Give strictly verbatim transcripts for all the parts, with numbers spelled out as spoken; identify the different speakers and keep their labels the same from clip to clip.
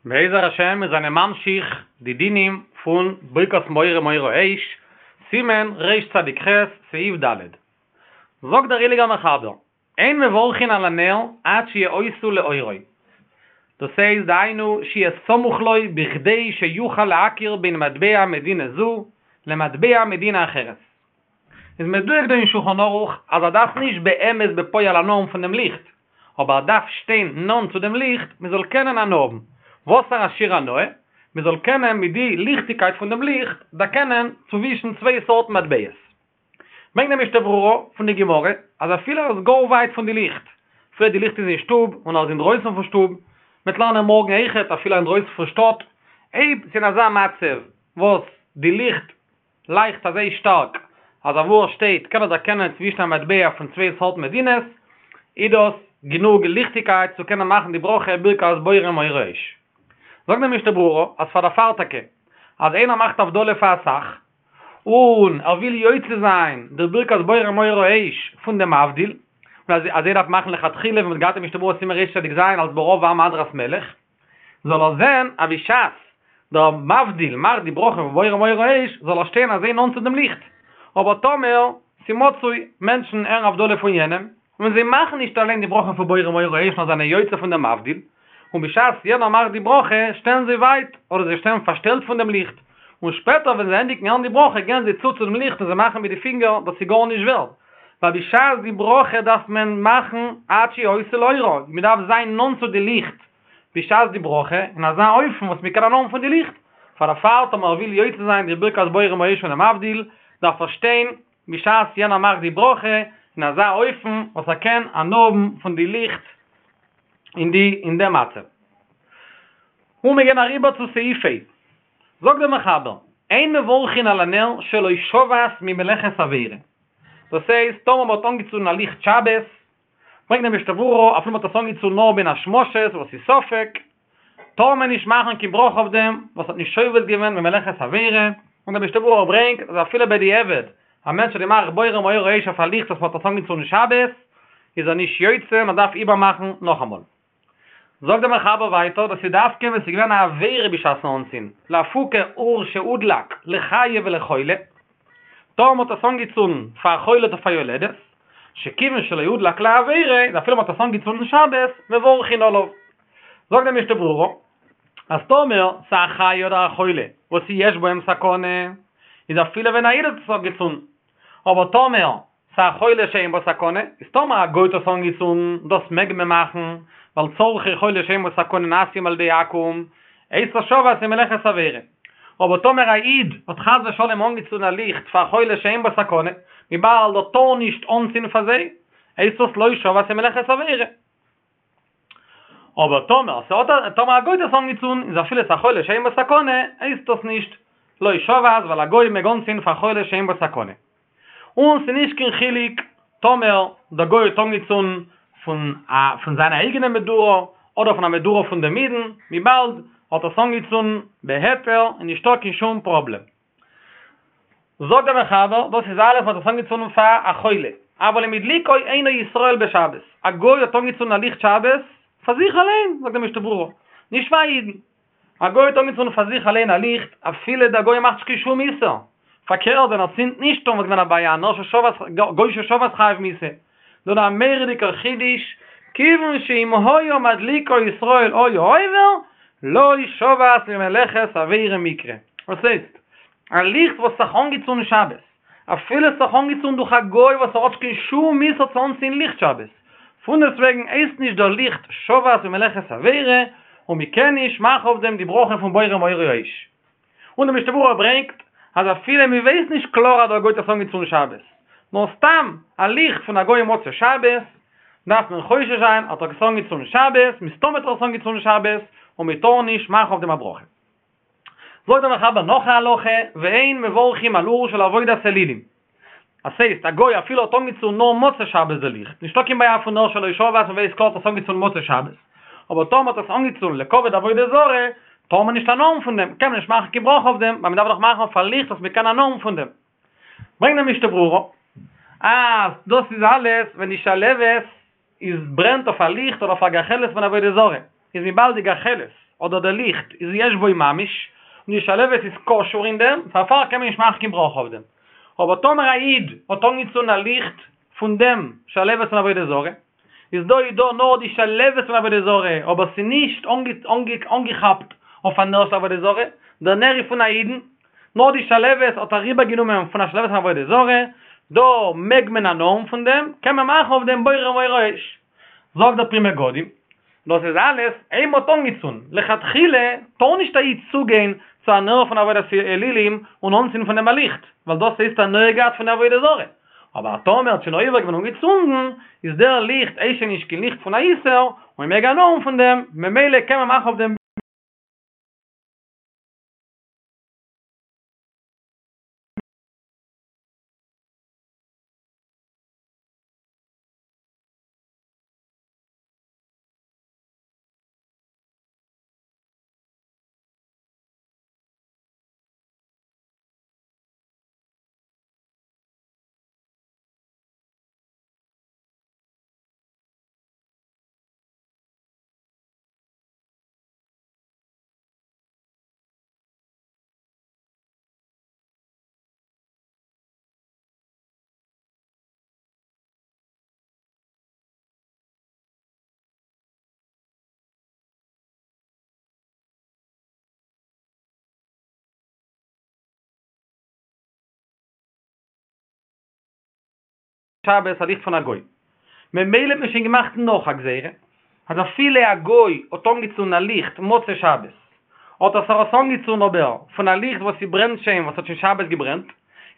Speaker 1: בעזר השם מיר זענען ממשיך די דינים פון ברכת בורא מאורי האש, סימן רצ"ח, סעיף ד'. זאגט דער הייליגער מחבר, אין מברכין על הנר עד שיאותו לאורו. דאס הייסט דהיינו שיהיה סמוך לו בכדי שיוכל להכיר בין מטבע מדינה זו למטבע מדינה אחרת. איז מדויק דא אין שולחן ערוך אז ער דארף נישט באמת בפועל הנאה האבן פון דעם ליכט, אבער ער דארף שטיין נאנט צו דעם ליכט מען זאל קענען הנאה האבן. וואסערע שיעור הנאה? מען זאל קענען מיט די ליכטיגקייט פון דעם ליכט דערקענען צווישן צוויי סארטן מטבעות. ברענגט דער משנה ברורה פון די גמרא אז אפילו ער איז גאר ווייט פון די ליכט, אפילו די ליכט איז אין שטוב און ער איז אינדרויסן פון שטוב, מ'וועט לערנען מארגן אויכעט אפילו אינדרויסן פון שטאט, אויב ס'איז אין אזא מצב וואס די ליכט לייכט אזוי שטארק אז אוואו ער שטייט קען ער דערקענען צווישן א מטבע פון צוויי סארט מדינות, איז דאס גענוג ליכטיגקייט צו קענען מאכן די ברכה ברכת בורא מאורי האש. זאגט דער משנה ברורה אז פאר דערפאר טאקע אז איינער מאכט הבדלה פאר אסאך און ער וויל יוצא זיין דער ברכת בורא מאורי האש פון דעם מבדיל, און אזוי דארף מאכן לכתחילה ווי מ'האט געהאט אין משנה ברורה סימן רצ"ז אלס ברוב עם הדרת מלך, זאל ער זען אז בשעת דער מבדיל מאכט די ברכה פון בורא מאורי האש זאל ער שטיין אזוי נאנט צו דעם ליכט, אבער טאמער ס'מצוי מענטשן הערן הבדלה פון יענעם, און זיי מאכן נישט אליין די ברכה פון בורא מאורי האש נאר זענען יוצא פון דעם מבדיל, און בשעת יענער מאכט די ברכה שטייען זיי ווייט, אדער זיי שטייען פארשטעלט פון דעם ליכט, און שפעטער ווען זיי ענדיגן הערן די ברכה גייען זיי צו צו דעם ליכט און זיי מאכן מיט די פינגער, דאס איז גארנישט ווערד, ווייל בשעת די ברכה דארף מען מאכן עד שיאותו לאורו, מען דארף זיין נאנט צו די ליכט בשעת די ברכה, אין אזא אופן וואס מען קען הנאה האבן פון די ליכט, פאר דערפאר טאמער ער וויל יוצא זיין די ברכת בורא מאורי האש פון דעם מבדיל, דארף ער שטיין בשעת יענער מאכט די ברכה, אין אזא אופן וואס ער קען הנאה האבן פון די ליכט אין די אין דעם מצב. און מיר גייען אריבער צו סעיף ה'. זאגט דער מחבר, אין מברכין על הנר שלא שבת ממלאכת עבירה. דאס הייסט, טאמער מ'האט אנגעצונדן א ליכט שבת, ברענגט דער משנה ברורה, אפילו מ'האט עס אנגעצונדן נאר בין השמשות, וואס איז ספק, טאר מען נישט מאכן קיין ברכה אויף דעם וואס האט נישט שובת געווען ממלאכת עבירה, און דער משנה ברורה ברענגט אז אפילו בדיעבד, א מענטש האט געמאכט בורא מאורי האש אויף א ליכט וואס מ'האט עס אנגעצונדן שבת, איז ער נישט יוצא, מען דארף איבערמאכן נאכאמאל. זאגט דער מחבר ווייטער, דאס איז דווקא ווען ס'איז געווען א עבירה בשעת'ן אנצינדן, לאפוקי אור שהודלק לחיה ולחולה, טאמער מ'האט עס אנגעצונדן פאר א חולה אדער פאר יולדת, שכיוון שלא הודלק לעבירה, איז אפילו מ'האט עס אנגעצונדן שבת, מברכין עליו. זאגט דער משנה ברורה, אז טאמער ס'איז א חיה אדער א חולה וואס יש בהם סכנה, איז אפילו ווען א איד האט עס אנגעצונדן, אבער טאמער ס'איז א חולה שאין בו סכנה, איז טאמער א גוי האט עס אנגעצונדן, דאס מעג מען מאכן, ווייל צרכי חולה שאין בו סכנה נעשים על ידי עכו"ם, הייסט עס שבת ממלאכת עבירה. אבער טאמער א איד האט חס ושלום אנגעצונדן א ליכט פאר א חולה שאין בו סכנה, וויבאלד ער טאר נישט אנצינדן פאר זיי, הייסט עס לא שבת ממלאכת עבירה. אבער טאמער ס'האט א, טאמער א גוי האט עס אנגעצונדן, איז אפילו ס'איז א חולה שאין בו סכנה, הייסט דאס נישט לא שבת, ווייל א גוי מעג אנצינדן פאר חולה שאין בו סכנה. און ס'נישט קיין חילוק טאמער דער גוי האט אנגעצונדן פון א פון זיין אייגענע מדורה, אדער פון א מדורה פון דעם אידן, וויבאלד האט עס אנגעצונדן בהיתר איז נישטא קיין שום פראבלעם. זאגט דער מחבר, דאס איז אלעס מ'האט עס אנגעצונדן פאר א חולה, אבל אם הדליקו אינו ישראל בשבת, א גוי האט אנגעצונדן א ליכט שבת פאר זיך אליין, זאגט דער משנה ברורה, נישט פאר א אידן, א גוי האט אנגעצונדן פאר זיך אליין א ליכט, אפילו דער גוי מאכט נישט קיין שום איסור, פארקערט ווען ער צינדט נישט אן וואלט געווען א בעיה, נר ששבת, גוי ששבת חייב מיתה. דא א מורא'דיגער חידוש, כיוון שאם היה מדליקו ישראל היה עובר, לא שבת ממלאכת עבירה מיקרי. וואס הייסט? א ליכט וואס האט זיך אנגעצונדן שבת, אפילו עס האט זיך אנגעצונדן דורך א גוי וואס ער האט נישט קיין שום איסור צו אנצינדן ליכט שבת, פונדעסטוועגן הייסט נישט דער ליכט שבת ממלאכת עבירה, און מען קען נישט מאכן אויף דעם די ברכה פון בורא מאורי האש. און דער משנה ברורה ברענגט אז אפילו מען ווייסט נישט קלאר אז דער גוי האט עס אנגעצונדן שבת, נאר סתם א ליכט פון א גוי מוצאי שבת, דארף מען חושש זיין האט ער עס אנגעצונדן שבת, מסתמא האט ער עס אנגעצונדן שבת, און מען טאר נישט מאכן אויף דעם א ברכה. זאגט דער מחבר נאך א הלכה, ואין מברכים על אור של עבודת אלילים. אז ס'הייסט, א גוי אפילו האט אנגעצונדן נאר מוצאי שבת די ליכט, נישטא קיין בעיה פון נר שלא שבת, מ'ווייסט קלאר האט עס אנגעצונדן מוצאי שבת. אבער טאמער האט עס אנגעצונדן לכבוד עבודה זרה, טאר מען נישט הנאה האבן פון דעם, קען מען נישט מאכן קיין ברכה אויף דעם, ווייל מען דארף דאך מאכן אויף א ליכט וואס מען קען הנאה האבן פון דעם. ברענגט דער משנה ברורה, אז דאס איז אלעס ווען די שלהבת איז ברענט אויף א ליכט אדער אויף א גחלת פון עבודה זרה, איז וויבאלד די גחלת אדער דער ליכט איז יש בו ממש, און די שלהבת איז קשור אין דעם, פארפאר קען מען נישט מאכן קיין ברכה אויף דעם. אבער טאמער א איד האט אנגעצונדן א ליכט פון דעם שלהבת פון עבודה זרה, איז דא איז דא נאר די שלהבת פון עבודה זרה, אבער ס'איז נישט אנגעכאפט אויף א נר של עבודה זרה, דער נר איז פון א אידן, נאר די שלהבת האט אריבערגענומען פון א שלהבת פון עבודה זרה, דא מעג מען הנאה האבן פון דעם, קען מען מאכן אויף דעם בורא מאורי האש. זאגט דער פרי מגדים, דאס איז אלעס אויב מ'האט אנגעצונדן, לכתחילה טאר נישט א איד צוגיין צו א נר פון עבודת אלילים און אנצינדן פון דעם א ליכט, ווייל דאס הייסט הנאה געהאט פון די עבודה זרה, אבער טאמער האט שוין עובר געווען און געצונדן, איז דער ליכט הייסט שוין נישט קיין ליכט פון א איסור, און מ'מעג הנאה האבן פון דעם, ממילא קען מען מאכן אויף דעם. שבת א ליכט פון א גוי. ממילא האט מען שוין געמאכט נאך א גזירה, אז אפילו א גוי האט אנגעצונדן א ליכט מוצאי שבת, האט ער עס אנגעצונדן אבער פון א ליכט וואס ס'ברענט שוין, וואס האט שוין שבת געברענט,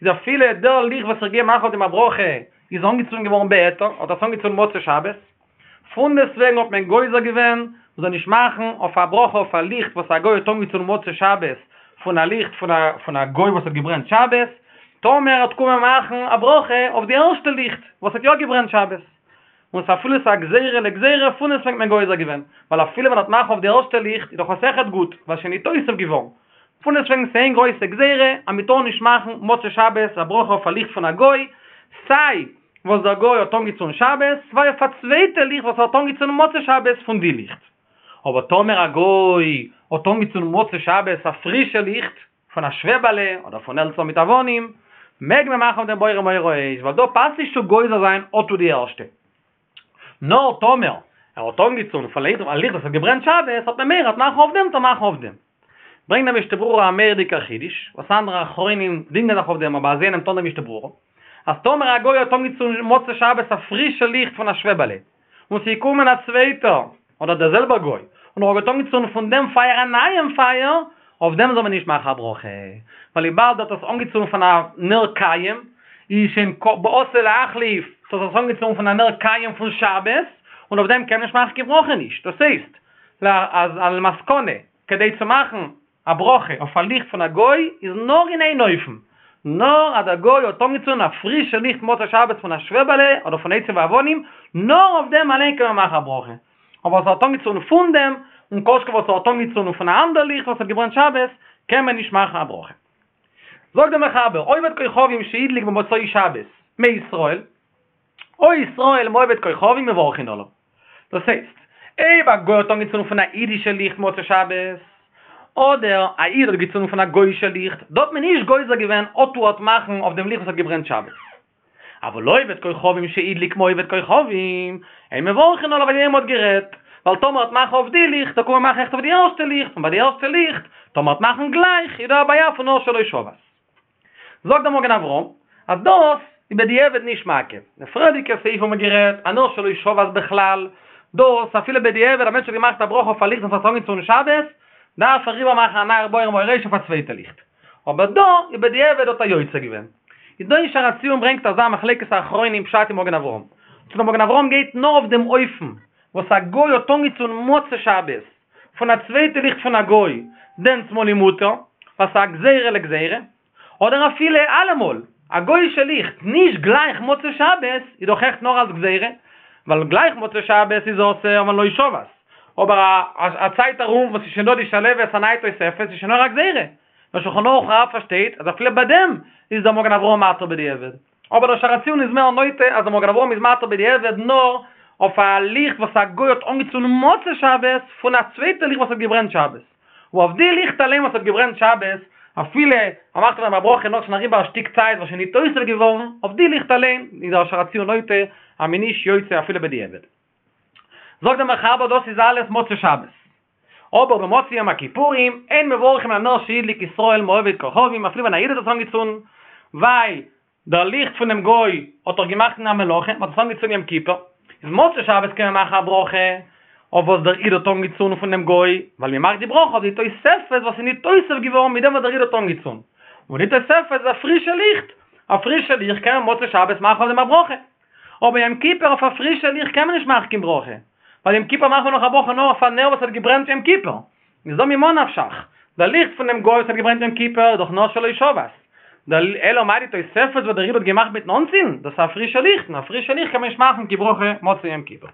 Speaker 1: איז אפילו דער ליכט וואס איך גיי מאכן אויף דעם א ברכה איז אנגעצונדן געווארן בהיתר, האט עס אנגעצונדן מוצאי שבת, פונדעסטוועגן האט מען גוזר געווען מ'זאל נישט מאכן אויף א ברכה אויף א ליכט וואס א גוי האט אנגעצונדן מוצאי שבת פון א ליכט פון א גוי וואס האט געברענט שבת, טאמער ער וועט קומען מאכן א ברכה אויף די ערשטע ליכט וואס האט יא געברענט שבת, און ס'איז אפילו ס'איז א גזירה לגזירה פונדעסטוועגן האט מען גוזר געווען, ווייל אפילו ווען ער וועט מאכן אויף די ערשטע ליכט איז דאך עס אויכעט גוט, ווייל ס'שוין ניתוסף געווארן, פונדעסטוועגן ס'איז איין גרויסע גזירה אז מ'טאר נישט מאכן מוצאי שבת א ברכה אויף א ליכט פון א גוי, סיי וואס דער גוי האט אנגעצונדן שבת, סיי אויף א צווייטע ליכט וואס ער האט אנגעצונדן מוצאי שבת פון די ליכט. אבער טאמער א גוי האט אנגעצונדן מוצאי שבת א פרישע ליכט, פון א שוועבעלע אדער פון העלצער מיט אבנים, מעג מען מאכן אויף דעם בורא מאורי האש, ווייל דא פאסט נישט צו גוזר זיין אטו די ערשטע. נאר טאמער ער האט אנגעצונדן פון א ליכט וואס האט געברענט שבת, האט מען מורא ער וועט מאכן אויף דעם וועט ער מאכן אויף דעם. ברענגט דער משנה ברורה א מורא'דיגער חידוש, וואס אנדערע אחרונים דינגען זיך אויף דעם אבער אזוי נעמט אן דער משנה ברורה, אז טאמער א גוי האט אנגעצונדן מוצאי שבת א פרישע ליכט פון א שוועבעלע, און ס'איז געקומען א צווייטער, אדער דער זעלבער גוי, און ער האט אנגעצונדן פון דעם פייער א נייעם פייער, אויף דעם זאל מען נישט מאכן א ברכה, ווייל וויבאלד ער האט עס אנגעצונדן פון א נר קיים, איז שוין באתי להחליף, ס'האט עס אנגעצונדן פון א נר קיים פון שבת, און אויף דעם קען מען נישט מאכן קיין ברכה נישט, דאס הייסט, אז למסקנא, כדי צו מאכן א ברכה אויף א ליכט פון א גוי איז נאר אין איין אופן, נאר אז דער גוי האט אנגעצונדן א פרישע ליכט מוצאי שבת פון א שוועבעלע אדער פון עצים ואבנים, נאר אויף דעם אליין קען מען מאכן א ברכה, אבער וואס ער האט אנגעצונדן פון דעם, און כל שכן וואס ער האט אנגעצונדן פון א אנדער ליכט וואס האט געברענט שבת, קען מען נישט מאכן א ברכה. זאגט דער מחבר, עובד כוכבים שהדליק במוצאי שבת מישראל, או ישראל מעובד כוכבים מברכין עליו. דאס הייסט, אויב א גוי האט אנגעצונדן פון א אידישע ליכט מוצאי שבת, אדער א איד האט געצונדן פון א גוי'אישע ליכט, דא האט מען נישט גוזר געווען אטו ער וועט מאכן אויף דעם ליכט וואס האט געברענט שבת. אבל עובד כוכבים שהדליק מעובד כוכבים, אין מברכין עליו ווי מ'האט גערעדט, ווייל טאמער ער וועט מאכן אויף די ליכט, וועט ער קומען מאכן אויכעט אויף די ערשטע ליכט, און ביי די ערשטע ליכט, טאמער ער וועט מאכן גלייך, איז דא א בעיה פון נר שלא שבת. זאגט דער מגן אברהם אז דאס איז בדיעבד נישט מעכב, די פריערדיגע סעיף האבן מיר גערעדט א נר שלא שבת בכלל, דאס אפילו בדיעבד א מענטש האט געמאכט א ברכה אויף א ליכט וואס האט אנגעצונדן שבת, דארף ער איבערמאכן א נייער בורא מאורי האש אויף א צווייטע ליכט, אבער דא איז בדיעבד האט ער יוצא געווען. איז דא אין שער הציון ברענגט אזא מחלוקת האחרונים פשט אין מגן אברהם, צו דער מגן אברהם גייט נאר אויף דעם אופן וואס א גוי האט אנגעצונדן מוצאי שבת פון א צווייטע ליכט פון א גוי, דענסמאל איז מותר, ווייל ס'איז א גזירה לגזירה, אדער אפילו אלעמאל, א גוי'אישע ליכט, נישט גלייך מוצאי שבת, איז דאך עכט נאר אלס גזירה, ווייל גלייך מוצאי שבת איז אסור ווייל לא שבת, אבער א צייט ארום וואס איז שוין דא די שלהבת א נייע תוספת איז שוין נאר א גזירה, דער שולחן ערוך הרב פארשטייט אז אפילו ביי דעם איז דער מגן אברהם מתיר בדיעבד. אבער דער שער הציון איז מער נוטה אז דער מגן אברהם איז מתיר בדיעבד נאר אויף א ליכט וואס א גוי האט אנגעצונדן מוצאי שבת פון א צווייטע ליכט וואס האט געברענט שבת, און אויף די ליכט אליין וואס האט געברענט שבת, אפילו ער מאכט אויף דעם א ברכה נאך שוין אריבער א שטיק צייט וואס שוין ניתוסף געווארן, אויף די ליכט אליין איז דער אשר הציון נוטה אז מ'איז נישט יוצא אפילו בדיעבד. זאגט דער מחבר דאס איז אלעס מוצאי שבת. אבער במוצאי יום הכיפורים אין מברכין על הנר שהדליק ישראל מעובד כוכבים אפילו ווען א איד האט עס אנגעצונדן, ווייל דער ליכט פונעם גוי האט דאך געמאכט אין א מלאכה, מען האט עס אנגעצונדן יום כיפור, איז מוצאי שבת קען מען מאכן א ברכה אויף וואס דער איד האט אנגעצונדן פונעם גוי, ווייל מען מאכט די ברכה אויף די תוספת וואס איז ניתוסף געווארן מיט דעם וואס דער איד האט אנגעצונדן, און די תוספת איז א פרישע ליכט, א פרישע ליכט קען מען מוצאי שבת מאכן אויף דעם א ברכה, אבער יום כיפור אויף א פרישע ליכט קען מען נישט מאכן קיין ברכה, ווייל יום כיפור מאכט מען נאך א ברכה נאר אויף א נר וואס האט געברענט יום כיפור, איז דא ממה נפשך, דער ליכט פונעם גוי וואס האט געברענט יום כיפור איז דאך נאר שלא שבת, דער אלא מאי די תוספת וואס דער איד האט געמאכט מיטן אנצינדן, דאס איז א פרישע ליכט, און א פרישע ליכט קען מען נישט מאכן קיין ברכה מוצאי יום כיפור.